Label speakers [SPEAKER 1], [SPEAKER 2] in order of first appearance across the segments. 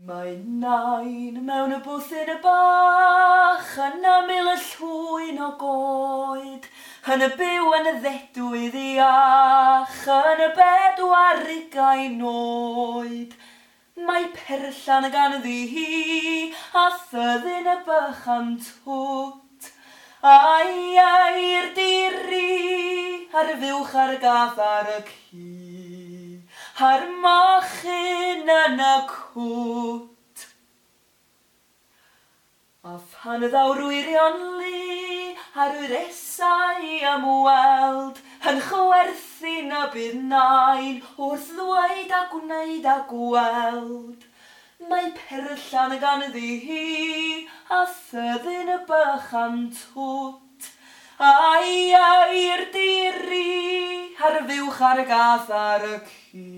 [SPEAKER 1] Mae nain mewn y bwthyn y bach yn ymyl y llwyn o goed, yn y byw yn y ddedwydd iach, yn y 24 oed. Mae perllan ganddi hi, a thyddyn y bychan twt, a'i air diri, a'r fuwch a'r gath ar y ci, a'r mochyn yn y cwt. A phan ddaw'r wyrion lu a'r wyresau am weld, yn chwerthin y bydd nain wrth ddweud a gwneud a gweld. Mae perllan ganddi hi, a thyddyn y bychan twt, a'i air diri, a'r fuwch a'r gath ar y ci,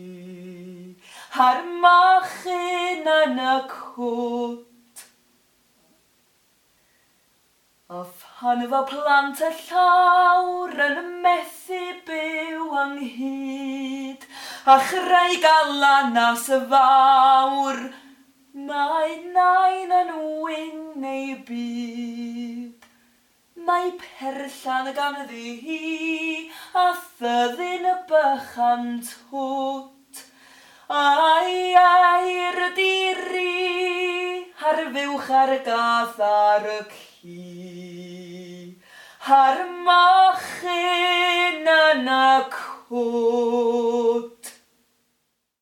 [SPEAKER 1] a'r mochyn yn y cwt. A phan fo plant y llawr yn methu byw ynghyd, a chreu galanas y fawr, mae nain yn wyn ei byd. Mae perllan ganddi hi, a thyddyn y bychan twt, a'i air diri, a'r fuwch a'r gath ar y ci, a'r mochyn yn y cwt.